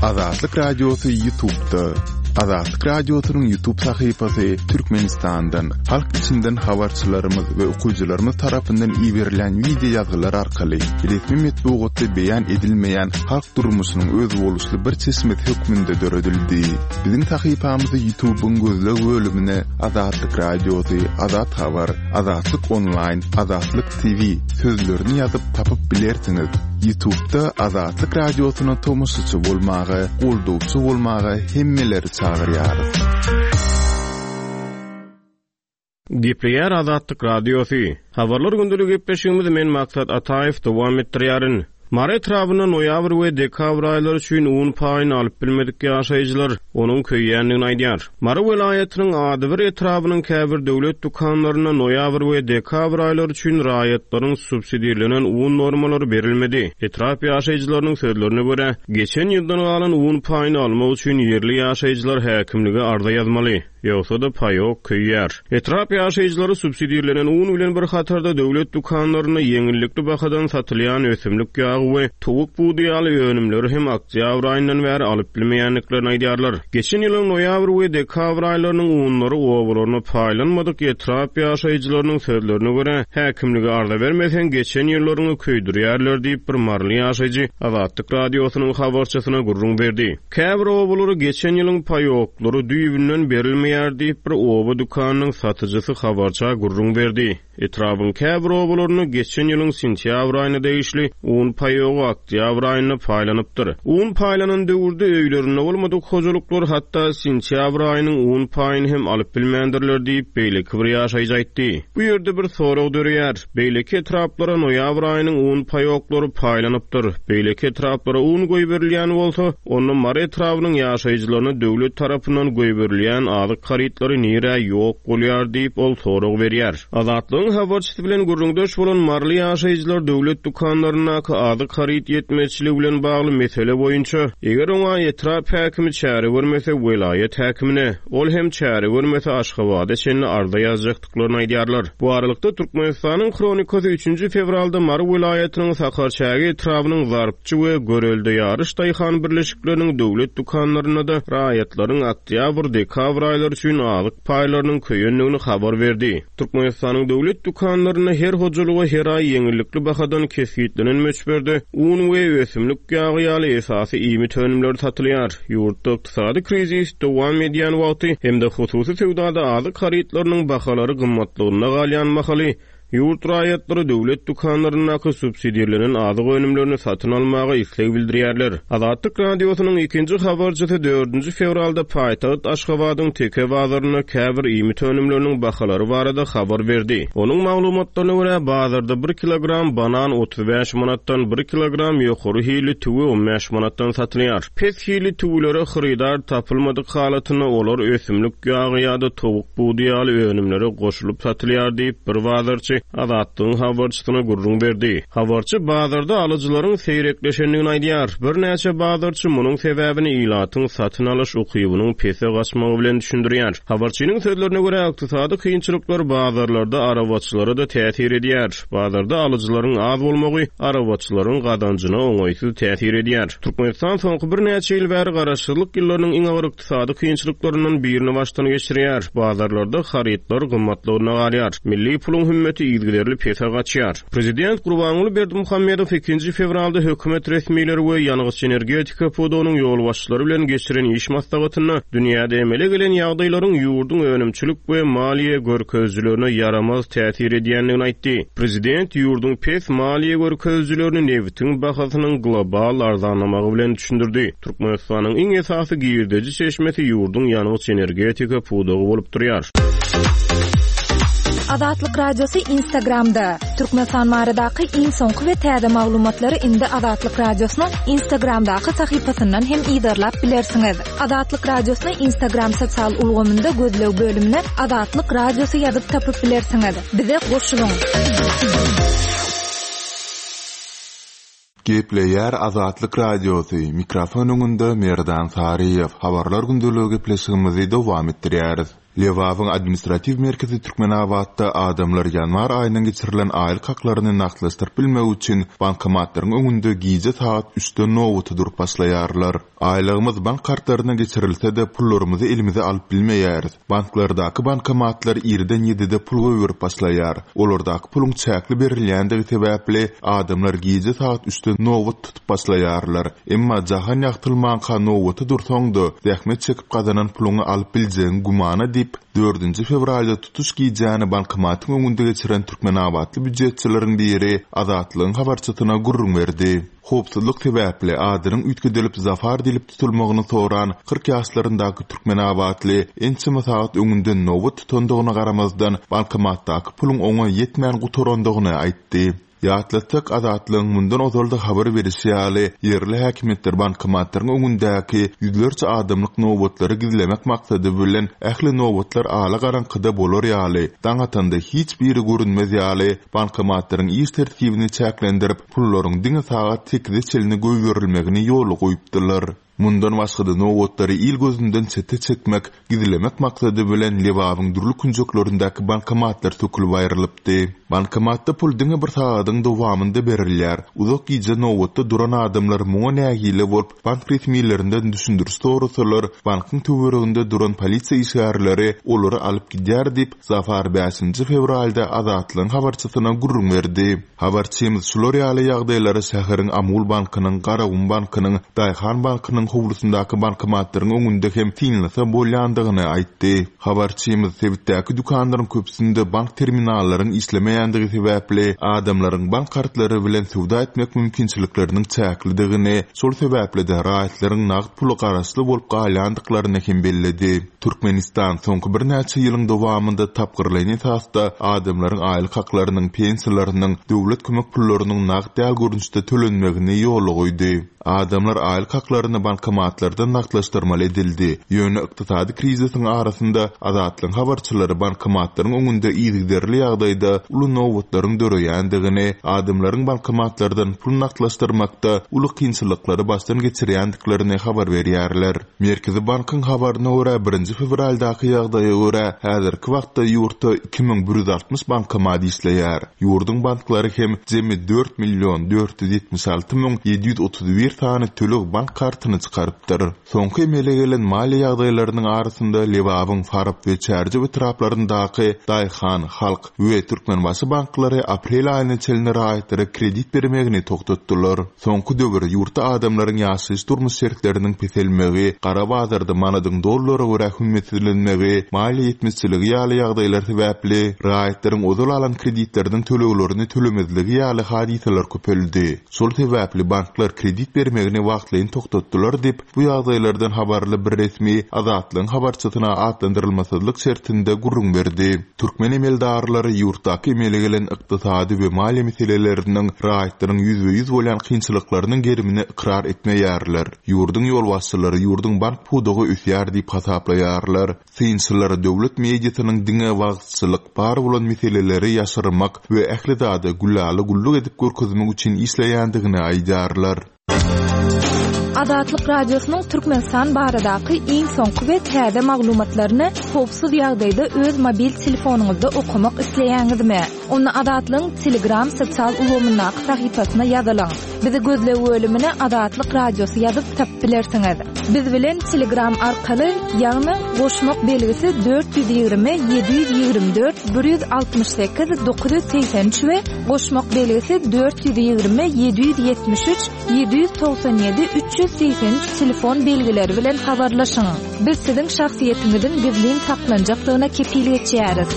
Azatlyk Radiosy Ýutubda. Azatlyk Radiosynyň Ýutub sahypasy Türkmenistandan, halk içinden habarçylarymyz we okyjylarymyz tarapyndan iberilýän wideo ýazgylar arkaly resmi metbugatda beýan edilmeýän halk durmuşynyň özboluşly bir çeşmesi hökmünde döredildi. Biziň sahypamyzy Ýutubyň gözleg bölümine Azatlyk Radiosy, Azat Habar, Azatlyk Onlaýn, Azatlyk TV sözlerini ýazyp tapyp bilersiňiz. Ýutubda Azatlyk Radiosyna tomaşaçy bolmaga, goldawçy bolmaga hemmeleri çagyrýarys. Gepleýär Azatlyk Radiosy. Habarlar gündelik gepleşigimizi men Maksat Ataýew dowam etdirýärin. Mary etrabynda noýabr we dekabr aýlary üçin un paýyny alyp bilmedik ýaşaýjylar onuň köýýändigini aýdýar. Mary welaýatynyň adybir etrabynyň käbir döwlet dükanlarynda noýabr we dekabr aýlary üçin raýatlaryň subsidirlenen un normalary berilmedi. Etrap ýaşaýjylarynyň sözlerine görä, geçen ýyldan galan un paýyny almak üçin ýerli ýaşaýjylar häkimlige arza ýazmaly. Ýogsa-da paýok köýýär. Etrap ýaşaýjylary subsidirlenen un bilen bir hatarda döwlet dükanlarynda ýeňillikli bahadan satylýan ösümlik ýagy we towuk budy ýaly önümleri hem oktýabr aýyndan bäri alyp bilmeýändiklerini aýdýarlar. Geçen ýylyň noýabr we dekabr aýlarynyň unlary obalaryna paýlanmadyk etrap ýaşaýjylarynyň sözlerine görä, häkimlige arza bermeseň geçen ýyllaryňy köýdürýärler diýip bir maryly ýaşaýjy Azatlyk Radiosynyň habarçysyna gürrüň berdi. Käbir obalara geçen ýylyň paýoklary düýbünden berilmeýär diýip, bir oba dükanynyň satyjysy habarça gürrüň berdi. Etrabyň käbir obalarynda geçen ýylyň sentýabr aýyna degişli un paýogy oktýabr aýynda paýlanypdyr. Un paýlanan döwürde öýlerinde bolmadyk hojalyklar hatda sentýabr aýynyň un paýyny hem alyp bilmändirler diýip, beýleki bir ýaşaýjy aýtdy. Bu ýerde bir sorag döreýär. Beýleki etraplara noýabr aýynyň un paýoklary paýlanypdyr. Beýleki etraplara un goýberilýän bolsa, onda Mary etrabynyň ýaşaýjylaryna döwlet tarapyndan goýberilýän azyk harytlary nirä ýok bolýar diýip, ol sorag berýär. Azatlygyň habarçysy bilen gürrüňdeş bolan maryly ýaşaýjylar döwlet dükanlaryndaky azyk haryt ýetmezçiligi bilen bagly mesele boýunça, eger oňa etrap häkimi çäre görmese, welaýat häkimine, ol hem çäre görmese, Aşgabada çenli arza ýazjakdyklaryny ýokduklaryny aýdýarlar. Bu aralykda, Türkmenistanyň Hronikasy üçünji fewralda Mary welaýatynyň Sakarçäge etrabynyň Zarpçy we Görelde Ýaryş daýhan birleşikleriniň döwlet dükanlarynda-da raýatlaryň oktýabr, dekabr aýlary üçin azyk paýlarynyň köýendigini habar berdi. Türkmenistanyň döwlet dükanlarynda her hojalyga her aý ýeňillikli bahadan kesgitlenen möçberde un we ösümlik ýagy ýaly esasy iýmit önümleri satylýar. Ýurtda Ykdysady krizis dowam edýän wagty hem-de hususy söwdada azyk harytlarynyň bahalary gymmatlygynda galýan mahaly, ýurt raýatlary döwlet dükanlaryndaky subsidirlenen azyk önümlerini satyn almaga isleg bildirýärler. Azatlyk Radiosynyň ikinji habarçysy dördünji fewralda paýtagt Aşgabadyň Teke bazarynda käbir iýmit önümleriniň bahalary barada habar berdi. Onuň maglumatlaryna görä, bazarda bir kilogram banan 35 manatdan, bir kilogram ýokary hilli tüwi 15 manatdan satylýar. Pes hilli tüwülere hyrydar tapylmadyk halatynda olar ösümlik ýagy ýa-da towuk budy ýaly önümlere goşulyp satylýar diýip, bir bazarçy Azatlygyň habarçysyna gürrüň berdi. Habarçy bazarda alyjylaryň seýrekleşendigini aýdýar. Birnäçe bazarçy munuň sebäbini ilatyň satyn alyş ukybynyň pese gaçmagy bilen düşündirýär. Habarçynyň sözlerine görä, ykdysady kynçylyklar bazarlarda arabaçylara-da täsir edýär. Bazarda alyjylaryň az bolmagy arabaçylaryň gazanjyna oňaýsyz täsir edýär. Türkmenistan soňky birnäçe ýyl bäri garaşsyzlyk ýyllarynyň iň agyr ykdysady kynçylyklaryndan birini başdan geçirýär. Bazarlarda harytlar gymmatlygyna galýar. Milli puluň hümmeti yzygiderli pese gaçýar. Prezident Gurbanguly Berdimuhamedow ikinji fewralda hökümet resmileri we ýangyç-energetika pudagynyň ýolbaşçylary bilen geçiren iş maslahatynda dünýäde emele gelen ýagdaýlaryň ýurduň önümçilik we maliýe görkezijilerine ýaramaz täsir edýändigini aýtdy. Prezident ýurduň pes maliýe görkezijilerini nebitiň bahasynyň global arzanlamagy bilen düşündirdi. Türkmenistanyň iň esasy girdeji çeşmesi ýurduň ýangyç-energetika pudagy bolup durýar. Azatlyk Radiosy Instagramda, Türkmenistan baradaky iň soňky we täze maglumatlary indi Azatlyk Radiosynyň Instagramdaky sahypasyndan hem yzarlap bilersiňiz. Azatlyk Radiosyny Instagram sosial ulgamynda gözleg bölümine Azatlyk Radiosy ýazyp tapyp bilersiňiz. Bize goşulyň! Gepleýär Azatlyk Radiosy, mikrofon öňünde Merdan Saryýew, Habarlar gündeligi gepleşigimizi dowam etdirýäris. Lebabyň administratiw merkezi Türkmenabatda adamlar ýanwar aýyndan geçirilen aýlyk haklaryny nagtlaşdyryp bilmek üçin bankomatlaryň öňünde gije sagat üçden nobata durup başlaýarlar. Aýlygymyz bank kartlaryna geçirilse-de, pullarymyzy elimize alyp bilmeýäris. Banklardaky bankomatlar irden ýedide pul goýberip başlaýar. Olardaky puluň çäkli berilýändigi sebäpli, adamlar gije sagat üçden nobat tutup başlaýarlar. Emma jahan ýagtylmanka nobata dursaň-da, zähmet çekip gazanan puluňy alyp biljegiň gümana diýip, dördünji fewralda tutuş gijäni bankomatyň öňünde geçiren türkmenabatly býujetçileriň biri Azatlygyň habarçysyna gürrüň berdi. Howpsuzlyk sebäpli adynyň üýtgedilip Zafar diýlip tutulmagyny soran 40 ýaşlaryndaky türkmenabatly ençeme sagat öňünden nobat tutandygyna garamazdan, bankomatdaky puluň oňa ýetmän gutarandygyny aýtdy. Ýatlatsak, Azatlygyň mundan ozal-da habar berişi ýaly, ýerli häkimiýetler bankomatlaryň öňündäki ýüzlerçe adamlyk nobatlary gizlemek maksady bilen, ähli nobatlar ala-garaňkyda bolar ýaly, daň atanda hiç biri görünmez ýaly, bankomatlaryň iş tertibini çäklendirip, pullaryň diňe sagat sekize çenli goýberilmegini ýola goýupdylar. Mundan başga-da nobatlary il gözünden çete çekmek, gizlemek maksady bilen Lebabyň dürli künjeklerindäki bankomatlar sökülip aýrylypdy. Bankomatda pul diňe bir sagadyň dowamynda berilýär. Uzak gije nobatda duran adamlar muňa nägile bolup, bank resmilerinden düşündiriş sorasalar, bankyň töwereginde duran polisiýa işgärleri olary alyp gidýär diýip, Zafar bäşinji fewralda Azatlygyň habarçysyna gürrüň berdi. Habarçymyz şular ýaly ýagdaýlary şäheriň Amul bankynyň, Garagum bankynyň, Daýhan bankynyň howlusyndaky bankomatlaryň öňünde hem synlasa bolýandygyny aýtdy. Habarçymyz sebitdäki dükanlaryň köpüsinde bank terminallaryň işlemeýändigi sebäpli, adamlaryň bank kartlary bilen söwda etmek mümkinçilikleriniň çäklidigini, şol sebäpli-de raýatlaryň nagt pula garaşly bolup galýandyklaryny hem belledi. Türkmenistan soňky birnäçe ýylyň dowamynda tapgyrlaýyn esasda adamlaryň aýlyk haklarynyň, pensiýalarynyň, döwlet kömek pullarynyň nagt däl görnüşde tölenmegini ýola goýdy. Adamlar aýlyk haklaryny bankomatlardan nagtlaşdyrmaly edildi. Ýöne ykdysady krizisiň arasynda Azatlygyň habarçylary bankomatlaryň öňünde yzygiderli ýagdaýda uly nobatlaryň döreýändigini, adamlaryň bankomatlardan pul nagtlaşdyrmakda uly kynçylyklary başdan geçirýändiklerini habar berýärler. Merkezi bankyň habaryna görä, birinji fewraldaky ýagdaýa görä, häzirki wagtda ýurtda 2160 bankomat işleýär. Ýurduň banklary hem jemi 4 million 476 müň 731 sany töleg bank kartyny çykarypdyr. Soňky emele gelen maliýe ýagdaýlarynyň arasynda Lebabyň Farap we Çärjew etraplaryndaky Daýhan, Halk we Türkmenbaşy banklary aprel aýyna çenli raýatlara kredit bermegini togtatdylar. Soňky döwür ýurtda adamlaryň ýaşaýyş-durmuş şertleriniň peselmegi, gara bazarda manadyň dollara görä hümmetsizlenmegi, maliýe ýetmezçiligi ýaly ýagdaýlar sebäpli, raýatlaryň ozal alan kreditleriniň töleglerini tölemezligi ýaly hadysalar köpeldi. Şol sebäpli banklar kredit bermegini wagtlaýyn togtatdylar diýip, bu ýagdaýlardan habarly bir resmi Azatlygyň habarçysyna atlandyrylmasyzlyk şertinde gürrüň berdi. Türkmen emeldarlary ýurtdaky emele gelen ykdysady we maliýe meseleleriniň raýatlaryň ýüzbe-ýüz bolýan kynçylyklarynyň gerimini ykrar etmeýärler. Ýurduň ýolbaşçylary ýurduň bank pudagy ösýär diýip hasaplaýarlar. Synçylar döwlet mediasynyň diňe wagyzçylyk, bar bolan meseleleri ýaşyrmak we ähli zady gülala-güllük edip görkezmek üçin işleýändigini aýdýarlar. Azatlyk Radiosynyň Türkmenistan baradaky iň soňky we täze maglumatlaryny howpsuz ýagdaýda öz mobil telefonyňyzda okamak isleýäňizmi? Onda Azatlygyň Telegram sosial ulgamyndaky sahypasyna ýazylyň. Bizi gözleg bölümine Azatlyk Radiosy ýazyp tapyp bilersiňiz. Biz bilen Telegram arkaly, ýagny goşmak belgisi 420 724 168 983 we goşmak belgisi 420 773 797 383 telefon belgileri bilen habarlaşyň. Biz siziň şahsyýetiňiziň gizlin saklanjakdygyna kepil geçýäris.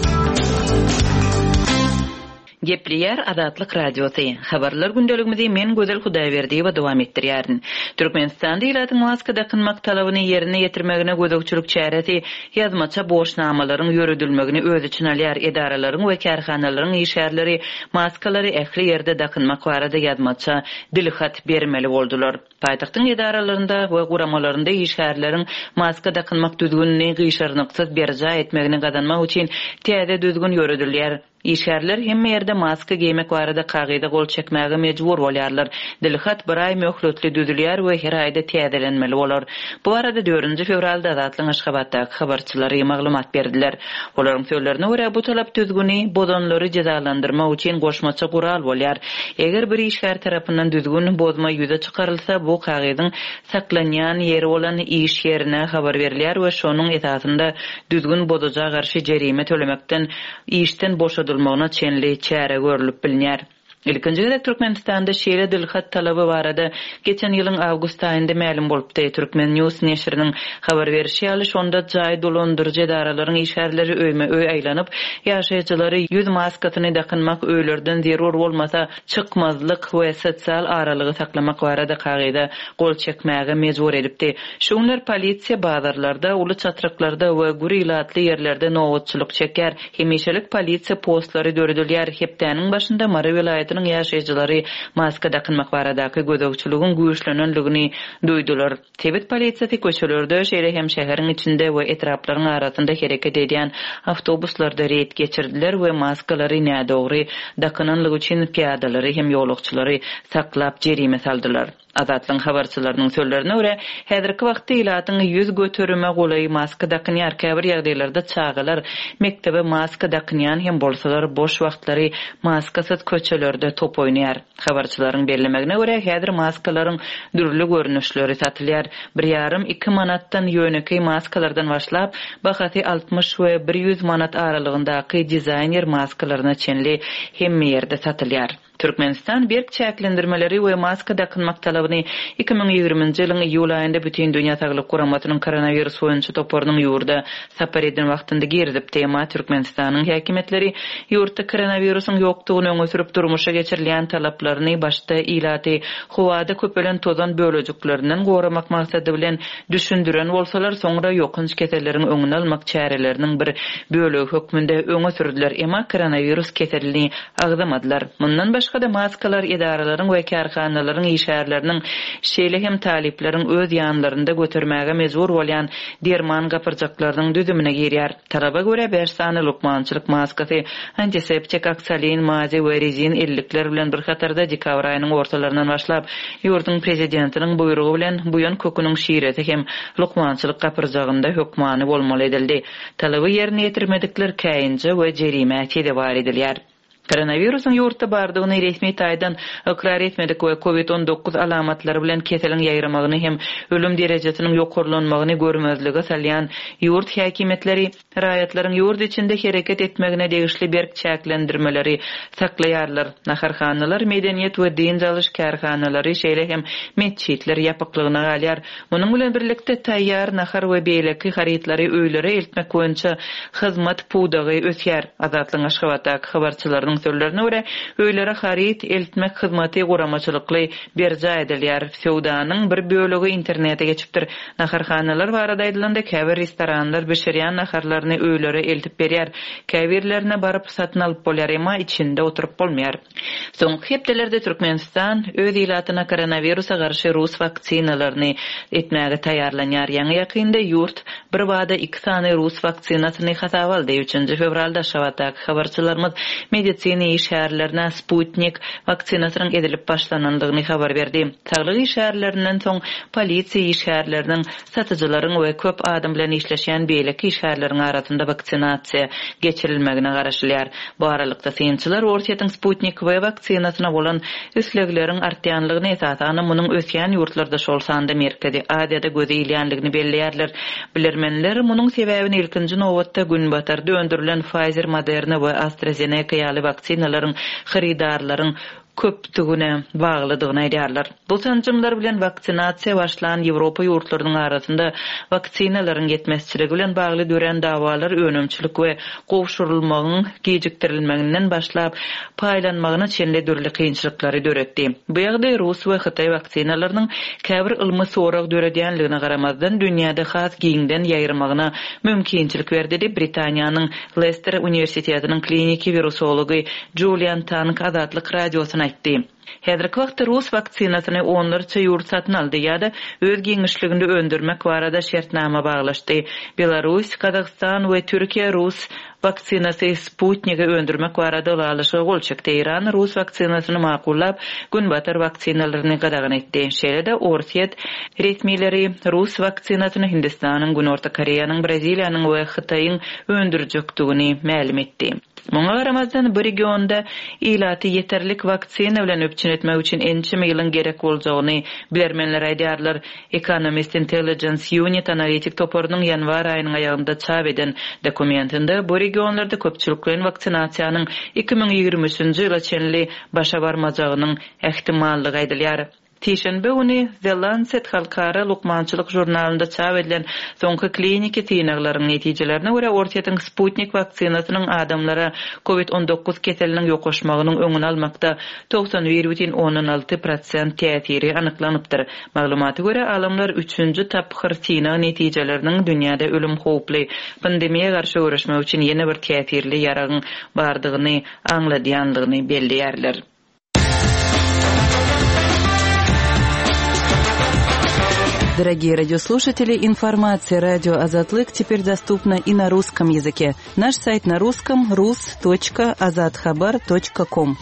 Gepleýär Azatlyk Radiosy. Habarlar gündeligimizi men Gözel Hudaýberdiýewa dowam etdirýärin. Türkmenistanda ilatyň maska dakynmak talabyny ýerine ýetirmegine gözegçilik çäresi ýazmaça borçnamalaryň ýöredilmegini öz içine alýar, edaralaryň we kärhanalaryň işgärleri maskalary ähli ýerde dakynmak barada ýazmaça dilhat bermeli boldular. Paýtagtyň edaralarynda we guramalarynda işgärleriň maska dakynmak düzgünini gyşarnyksyz berjaý etmegini gazanmak üçin täze düzgün ýöredilýär. Işgärler hemme ýerde maska geýmek barada kagyza gol çekmäge mejbur bolýarlar. Dilhat bir aý möhletli düzülýär we her aýda täzelenmeli bolar. Bu barada dördünji fewralda Azatlygyň Aşgabatdaky habarçylary maglumat berdiler. Olaryň sözlerine görä, bu talap düzgüni bozanlary jezalandyrmak üçin goşmaça gural bolýar. Eger bir işgär tarapyndan düzgün bozma ýüze çykarylsa, bu kagyzyň saklanýan ýeri bolan iş ýerine habar berilýär we şonuň esasynda düzgün bozuja garşy jerime tölemekden işden boşadylmagyna çenli çäre görlüp bilner. Ilkinji gezek Türkmenistanda şeýle dilhat talaby barada geçen ýylyň awgust aýynda mälim bolupdy. Turkmen. News neşiriniň habar berşi ýaly, şonda jaý dolandyryjy edaralaryň işgärleri öýme-öý aýlanyp, ýaşaýjylary ýüz maskasyny dakynmak, öýlerden zerur bolmasa çykmazlyk we sosial aralygy saklamak barada kagyza gol çekmäge mejbur edipdi. Şu günler polisiýa bazarlarda, uly çatryklarda we gür ilatly ýerlerde nobatçylyk çekýär. Hemişelik polisiýa postlary döredilýär. Hepdäniň başynda Mary welaýatynyň ýaşaýjylary maska dakynmak baradaky gözegçiligiň güýçlenendigini duýdular. Sebit polisiýasy köçelerde, şeýle hem şäheriň içinde we etraplaryň arasynda hereket edýän awtobuslarda reýd geçirdiler we maskalary nädogry dakynanlygy üçin pyýadalary hem ýolagçylary saklap jerime saldylar. Azatlygyň habarçylarynyň sözlerine görä, häzirki wagtda ilatyň 100 göterime golaýy maska dakynýar, käbir ýagdaýlarda çagalar mekdebe maska dakynýan hem bolsalar, boş wagtlary maskasyz köçelerde top oýnaýar. Habarçylaryň bellemegine görä, häzir maskalaryň dürli görnüşleri satylýar. Bir ýarym, iki manatdan ýönekeý maskalardan başlap, bahasy 60 we 100 manat aralygyndaky dizaýner maskalaryna çenli hemme ýerde satylýar. Türkmenistan berk çäklendirmeleri we maska dakynmak talabyny 2020-nji ýylyň iýul aýynda Bütindünýä Saglyk Guramasynyň koronawirus boýunça toparynyň ýurda sapar eden wagtynda girizipdi. Emma Türkmenistanyň häkimiýetleri ýurtda koronawirusyň ýokdugyny öňe sürüp durmuşa geçirilýän talaplaryny başda ilaty howada köpelen tozan bölejiklerinden goramak maksady bilen düşündiren bolsalar, soňra ýokanç keselleriň öňüni almak çäreleriniň bir bölegi hökmünde öňe sürdüler. Emma koronawirus keselini agzamadylar. Mundan başga-da, maskalar edaralaryň we kärhanalaryň işgärleriniň, şeýle hem talyplaryň öz ýanlarynda götermäge mejbur bolýan derman gapyrjaklarynyň düzümine girýär. Talaba görä, bäş sany lukmançylyk maskasy, antiseptik, oksalin, mazi we rezin ellikler bilen bir hatarda dekabr aýynyň ortalaryndan başlap, ýurduň Prezidentiniň buýrugy bilen buýan köküniň şiresi hem lukmançylyk gapyrjagynda hökmany bolmaly edildi. Talaby ýerine ýetirmedikler käýinje we jerimä sezewar edilýär. Koronawirusyň ýurtda bardygyny resmi taýdan ykrar etmedik we Covid 19 alamatlary bilen keseliň ýaýramagyny hem ölüm derejesiniň ýokarlanmagyny görmezlige salýan ýurt häkimiýetleri raýatlaryň ýurt içinde hereket etmegine degişli berk çäklendirmeleri saklaýarlar. Naharhanalar, medeniýet we dynç alyş kärhanalary, şeýle hem metjitler ýapyklygyna galýar. Munuň bilen birlikde, taýýar nahar we beýleki harytlary öýlere eltmek boýunça hyzmat pudagy ösýär. Azatlygyň Aşgabatdaky habarçylarynyň sözlerine görä, öýlere haryt eltmek hyzmaty guramaçylykly berjaý edilýär. Söwdanyň bir bölegi internete geçipdir. Naharhanalar barada aýdylanda, käbir restoranlar bişirýän naharlaryny öýlere eltip berýär. Käbirlerine baryp satyn alyp bolýar, emma içinde oturyp bolmaýar. Soňky hepdelerde Türkmenistan öz ilatyna koronawirusa garşy rus waksinalaryny etmäge taýýarlanýar. Ýaňy-ýakynda ýurt birbada iki sany rus waksinasyny hasaba aldy. Üçünji fewralda Aşgabatdaky habarçylarymyz medisina işgärlerine Sputnik waksinasynyň edilip başlanandygyny habar berdi. Saglyk işgärlerinden soň polisiýa işgärleriniň, satyjylaryň we köp adam bilen işleşýän beýleki işgärleriň arasynda waksinasiýa geçirilmegine garaşylýar. Bu aralykda, synçylar Orsýetiň Sputnik V waksinasyna bolan islegleriň artýanlygyny, esasanam munuň ösýän ýurtlarda, şol sanda Merkezi Aziýada göze ilýänligini belleýärler. Bilermenler munuň sebäbini ilkinji nobatda Günbatarda öndürilen Pfizer, Moderna we AstraZeneca ýaly waksinalaryň hyrydarlaryň köpdügine baglydygyny aýdýarlar. Bu sanjymlar bilen waksinasiýa başlan Ýewropa ýurtlarynyň arasynda waksinalaryň ýetmezçiligi bilen bagly dörän dawalar önümçilik we gowşurylmagyň gijikdirilmeginden başlap, paýlanmagyna çenli dürli kynçylyklary döretdi. Bu ýagdaý rus we hytaý waksinalarynyň käbir ylmy sorag döredýänligine garamazdan, dünýäde has giňden ýaýramagyna mümkinçilik berdi diýip, Britaniýanyň Lester uniwersitetiniň kliniki wirusology Julian Tang Azatlyk Radiosyna. boljakdygyny aýtdy. Häzirki wagtda rus waksinasyny onlarça ýurt satyn aldy ýa-da öz giňişliginde öndürmek barada şertnama baglaşdy. Belarus, Gazagystan we Türkiýe rus waksinasy Sputnigi öndürmek barada ylalaşyga gol çekdi. Eýran rus waksinasyny makullap, günbatar waksinalaryny gadagan etdi. Şeýle-de Orsýet resmileri rus waksinasyny Hindistanyň, Günorta Koreýanyň, Braziliýanyň we Hytaýyň öndürjekdigini mälim etdi. Muňa garamazdan, bu regionda ilaty ýeterlik waksina bilen üpjün etmek üçin ençeme ýylyň gerek boljagyny bilermenler aýdýarlar. Economist Intelligence Unit analitik toparynyň ýanwar aýynyň aýagynda çap eden dokumentinde bu regionlarda köpçülikleýin waksinasiýanyň 2023-nji ýyla çenli başa barmajagynyň ähtimallygy aýdylýar. Sişenbe güni The Lancet halkara lukmançylyk žurnalynda çap edilen soňky kliniki synaglaryň netijelerine görä, Orsýetiň Sputnik waksinasynyň adamlara Covid 19 keseliniň ýokaşmagynyň öňüni almakda 91,6 prosent täsiri anyklanypdyr. Maglumata görä, alymlar üçünji tapgyr synag netijeleriniň dünýäde ölüm howply pandemiýa garşy göreşmek üçin ýene bir täsirli ýaragyň bardygyny aňladýandygyny belleýärler. Дорогие радиослушатели, информация радио Азатлык теперь доступна и на русском языке. Наш сайт на русском rus.azathabar.com.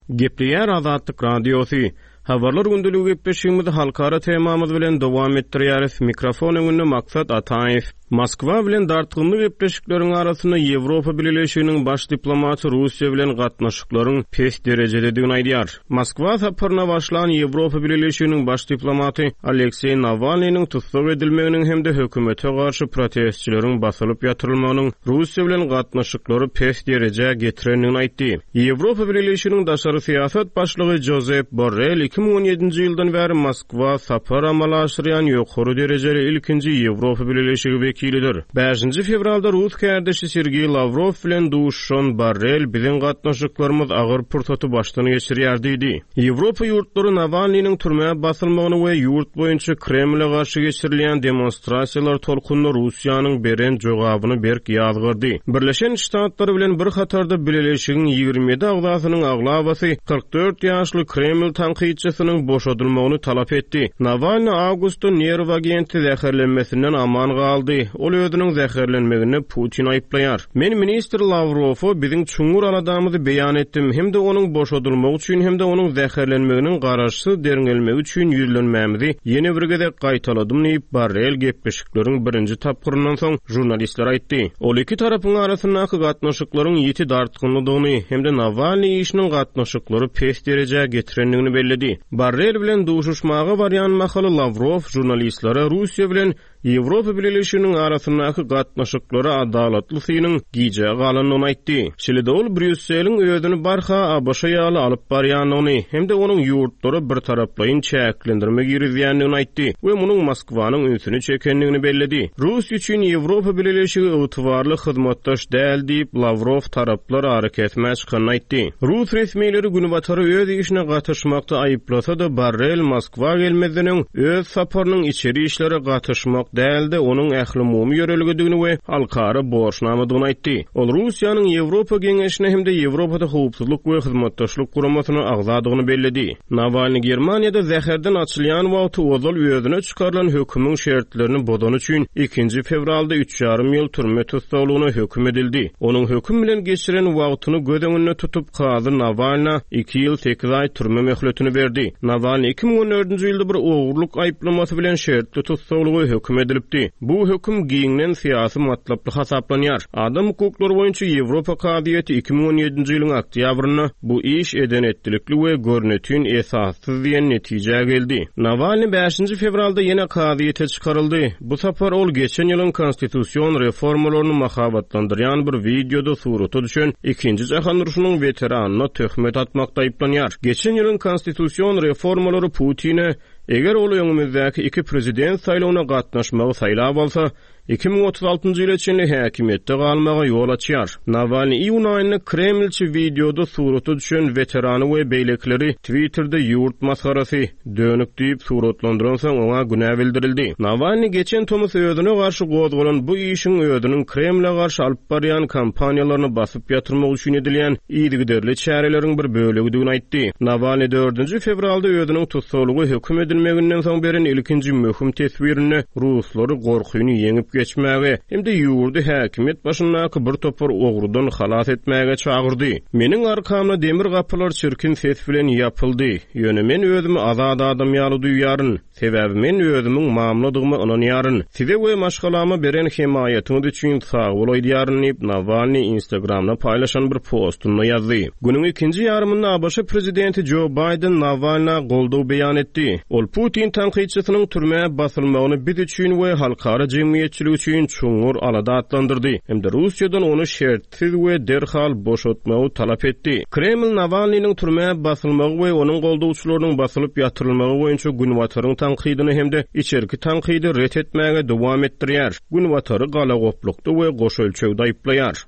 Gepleýär Azatlyk Radiosy. Habarlar gündeligi gepleşigimizi halkara temamyz bilen dowam etdirýäris. Mikrofon öňünde Maksat Ataýew. Moskwa bilen dartgynly gepleşikleriň arasynda Ýewropa Bileleşiginiň baş diplomaty Russiýa bilen gatnaşyklaryň pes derejededigini aýdýar. Moskwa saparyna başlan Ýewropa Bileleşiginiň baş diplomaty Alekseý Nawalnynyň tussag edilmeginiň hem-de hökümete garşy protestçileriň basylyp ýatyrylmagynyň Russiýa bilen gatnaşyklary pes derejä getirendigini aýtdy. Ýewropa Bileleşiginiň daşary syýasat başlygy Jozep Borrel 2017-nji ýyldan bäri Moskwa sapar amala aşyrýan ýokary derejeli ilkinji Ýewropa Bileleşigi wekilidir. Bäşinji fewralda rus kärdeşi Sergeý Lawrow bilen duşuşan Borrel biziň gatnaşyklarymyz agyr pursaty başdan geçirýär diýdi. Ýewropa ýurtlary Nawalnynyň türmä basylmagyny we ýurt boýunça Kremle garşy geçirilýän demonstrasiýalar tolkunynda Russiýanyň beren jogabyny berk ýazgardy. Birleşen Ştatlar bilen bir hatarda bileleşigiň 27 agzasynyň aglabasy 44 ýaşly Kreml tankytçysynyň boşadylmagyny talap etdi. Nawalny awgustda nerw agenti zäherlenmesinden aman galdy. Ol özüniň zäherlenmeginde Putini aýyplaýar. Men ministr Lawrowa biziň çuňňur aladamyzy beýan etdim hem-de onuň boşadylmagy üçin hem-de onuň zäherlenmeginiň garaşsyz derňelmegi üçin ýüzlenmämizi ýene bir gezek gaýtaladym diýip, Borrell gepleşikleriň birinji tapgyryndan soň žurnalistlere aýtdy. Ol iki tarapyň arasyndaky gatnaşyklaryň ýiti dartgynlydygyny hem-de Nawalnyý işiniň gatnaşyklary pes derejä getirendigini belledi. Borrell bilen duşuşmaga barýan mahaly Lawrow žurnalistlere Russiýa bilen Ýewropa Bileleşiginiň arasyndaky gatnaşyklara adalatly synyň gijä galandygyny aýtdy. Şeýle-de ol Brýusseliň özüni barha ABŞ ýaly alyp barýandygyny hem-de onuň ýurtlara birtaraplaýyn çäklendirme girizýändigini aýtdy we munuň Moskwanyň ünsüni çekendigini belledi. Russiýa üçin Ýewropa Bileleşigi ygtybarly hyzmatdaş däl diýip, Lawrow taraplar arakesmä çykanyny aýtdy. Rus resmileri Günbatary öz işine gatyşmakda aýyplasa-da, Borrell Moskwa gelmezden öň, öz saparynyň içeri işlere gatyşmak däl-de, onuň ählumumy ýörelgedigini we halkara borçnamadygyny aýtdy. Ol Russiýanyň Ýewropa Geňeşine hem-de Ýewropada Howpsuzlyk we Hyzmatdaşlyk Guramasyna agzadygyny belledi. Nawalnyý Germaniýada zäherden açylýan wagty ozal özüne çykarylan hökümiň şertlerini bozany üçin ikinji fewralda üç ýarym ýyl türme tussaglygyna höküm edildi. Onuň höküm bilen geçiren wagtyny göz öňünde tutup, kazy Nawalna iki ýyl sekiz aý türme möhletini berdi. Nawalnyý 2014-nji ýylda bir ogurlyk aýyplamasy bilen şertli tussaglyga höküm edilipdi. Bu höküm giňden syýasy matlaply hasaplanýar. Adam hukuklary boýunça Ýewropa kazyýeti 2017-nji ýylyň oktýabrynda bu iş eden-etdilikli we görnetin esassyz diýen netijä geldi. Nawalnyý bäşinji fewralda ýene kazyýete çykaryldy. Bu sapar ol geçen ýylyň konstitusion reformalaryny mahabatlandyrýan bir wideoda surata düşen Ikinji jahan urşunyň weteranyna töhmet atmakda aýyplanýar. Geçen ýylyň konstitusion reformalary Putine, eger ol öňümizdäki iki prezident saýlawyna gatnaşmagy saýlap alsa, 2036-njy ýyla çenli häkimiýetde galmaga ýol açýar. Nawalnyý iýun aýynda kremlçi wideoda surata düşen weterany we beýlekileri Twitterde ýurt masgarasy, dönük diýip suratlandyransoň oňa günä bildirildi. Nawalnyý geçen tomus özüne garşy gozgalan bu işiň özüniň Kremle garşy alyp barýan kampaniýalaryny basyp ýatyrmak üçin edilýän yzygiderli çäreleriň bir bölegidigini aýtdy. Nawalnyý dördünji fewralda özüniň tussaglyga höküm edilmeginden soň beren ilkinji möhüm teswirinde ruslary gorkyny ýeňip geçmäge hem-de ýurdy häkimiýet başyndaky bir topar ogrudan halas etmäge çagyrdy. Meniň arkamda demir gapylar çirkin ses bilen ýapyldy, ýöne men özümi azat adam ýaly duýýaryn. Sebäbi men özümiň mamladygyma ynanýaryn. Size we maşgalama beren hemaýatyňyz üçin sagbol aýdýaryn diýip, Nawalnyý Instagramda paýlaşan bir postunda ýazdy. Günüň ikinji ýarymynda ABŞ prezidenti Jo Baýden Nawalna goldaw beýan etdi. Ol Putin tankytçysynyň türmä basylmagyny biz üçin we halkara jemgyýetçiligi üçin çuňňur alada atlandyrdy hem-de Russiýadan ony şert Siz we derhal boşatmagy talap etdi. Kreml Nawalnynyň türmä basylmagy we onuň goldawçylarynyň basylyp ýatyrylmagy boýunça Günbataryň tankydyny hem-de içerki tankydy ret etmäge dowam etdirýär, Günbatary galagoplukda we goş ölçegde aýyplaýar.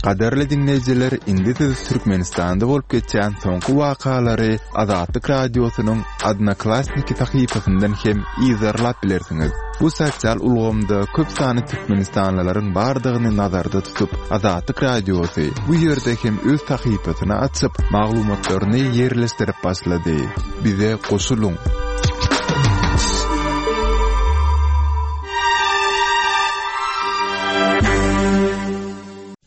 Gadyrly diňleýjiler, indi siz Türkmenistanda bolup geçýän soňky wakalary Azatlyk Radiosynyň Odnoklassniki sahypasyndan hem yzarlap bilersiňiz. Bu sosial ulgamda köp sanly türkmenistanlylaryň bardygyny nazarda tutup, Azatlyk Radiosy bu ýerde hem öz sahypasyny açyp, maglumatlaryny ýerleşdirip başlady. Bize goşulyň!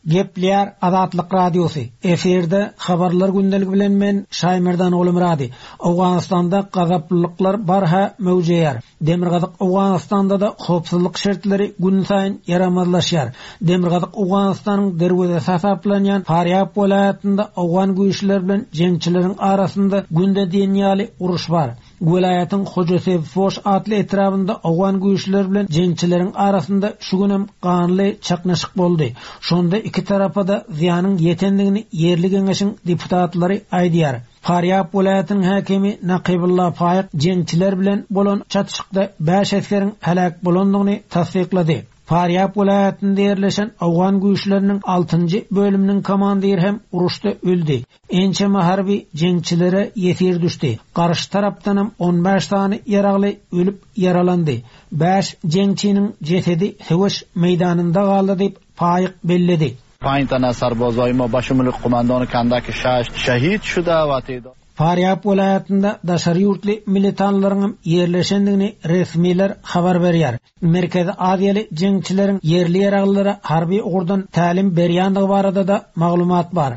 Gepleýär Azatlyk Radiosy, Efirde Habarlar gündeligi bilen men Şaýmerdan Gulumyrady. Owganystanda gazaplylyklar barha möwjeýär. Demirgazyk Owganystanda-da howpsuzlyk şertleri günsaýyn ýaramazlaşýar. Demirgazyk Owganystanyň derwezesi hasaplanýan Farýab welaýatynda owgan güýçleri bilen jeňçileriň arasynda günde diýen ýaly uruş bar. Welaýatyň Hojasebfoş atly etrabynda owgan güýçleri bilen jeňçileriň arasynda şu günem ganly çaknyşyk boldy. Şonda iki tarapa-da zyýanyň ýetendigini ýerli geňeşiň deputatlary aýdýar. Farýab welaýatynyň häkimi Nakybulla Faýyk jeňçiler bilen bolan çatyşykda bäş esgeriň heläk bolandygyny tassyklady. Farýab welaýatynda ýerleşen owgan güýçleriniň altynjy bölüminiň komandiri hem uruşda öldi. Ençeme harby jeňçilere ýesir düşdi. Garşy tarapdanam on bäş sany ýaragly ölüp ýaralandy. Bäş jeňçiniň jesedi söweş meýdanynda galdy diýip, Faýyk belledi. Pany tane sarbazay ma başumul kumandan kandaki şaş şehit şuda va te'dad. Farýab welaýatynda daşary ýurtly militanlaryňam ýerleşendigini resmiler habar berýär. Merkezi Aziýaly jeňçileriň ýerli ýaraglylara harby ugurdan tälim berýändigi barada-da maglumat bar.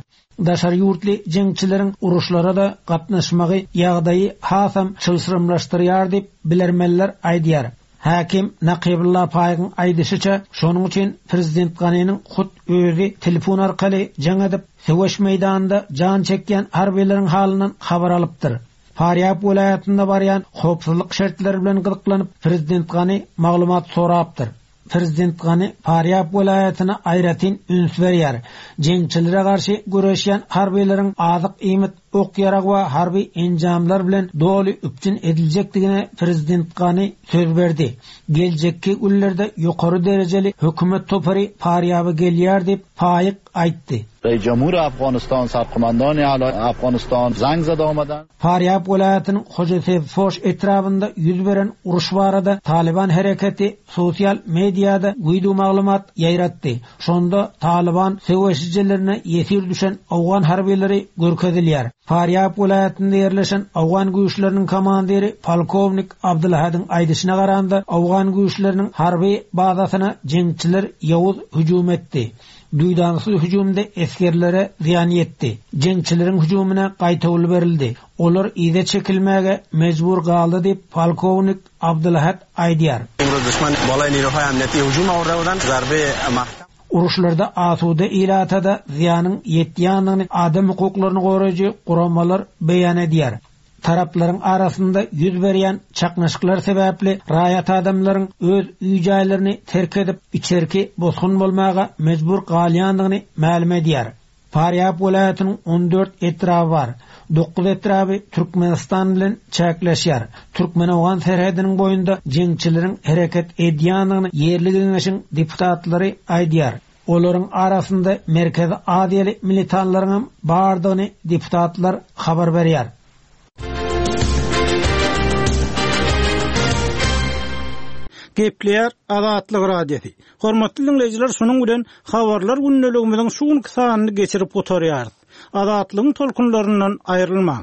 Daşary ýurtly jeňçileriň uruşlara-da gatnaşmagy ýagdaýy hasam çylşyrymlaşdyrýar diýip, bilermenler aýdýar. Häkim Nakybulla Paýygyň aýdyşyça, şonuň üçin prezident Ganiniň hut özi telefon arkaly jaň edip, söweş meýdanynda jan çekýän harbylaryň halyndan habar alypdyr. Farýab welaýatynda barýan howpsuzlyk şertleri bilen gyzyklanyp, prezident Gani maglumat sorapdyr. Prezident Gani Farýab welaýatyna aýratyn üns berýär. Jeňçilere garşy göreşýän harbylaryň azyk-iýmit, ok-ýarag we harby enjamlar bilen doly üpjün ediljekdigine prezident Gani söz berdi. Geljekki günlerde ýokary derejeli hökümet topary Farýaba gelýär diýip, Faýyk aýtdy. Reis Jumhur Afganistan, Sarkomandani Ala Afganistan zang zada omadan. Farýab welaýatynyň Hojasebfoş etrabynda ýüz beren uruş barada Talyban hereketi sosial mediada wideomaglumat ýaýratdy. Şonda Talyban söweşijilerine ýesir düşen owgan harbylary görkezilýär. Farýab welaýatynda ýerleşen owgan güýçleriniň komandiri polkownik Abdulhadyň aýdyşyna garanda, owgan güýçleriniň harby bazasyna jeňçiler ýowuz hüjüm etdi. Duýdansyz hüjümde esgerlere zyýan ýetdi. Jeňçileriň hüjümine gaýtawul berildi. Olar yza çekilmäge mejbur galdy diýip, polkownik Abdulhat aýdýar. Uruşlarda asuda ilata-da zyýanyň ýetýändigini adam hukuklaryny goraýjy guramalar beýan edýär. Taraplaryň arasynda ýüz berýän çaknyşyklar sebäpli raýat adamlaryň öz öý-jaýlaryny terk edip, içerki bosgun bolmaga mejbur galýandygyny mälim edýär. Farýab welaýatynyň on dört etraby bar. Dokuz etraby Türkmenistan bilen çäkleşýär. Türkmen-owgan serhediniň boýunda jeňçileriň hereket edýändigini ýerli geňeşiň deputatlary aýdýar. Olaryň arasynda Merkezi Aziýaly militanlaryňam bardygyny deputatlar habar berýär. Gepleýär Azatlyk Radiosy. Hormatly diňleýjiler, şunuň bilen Habarlar gündeligimiziň şu günki sanyny geçirip gutarýarys. Azatlygyň tolkunlaryndan aýrylmaň!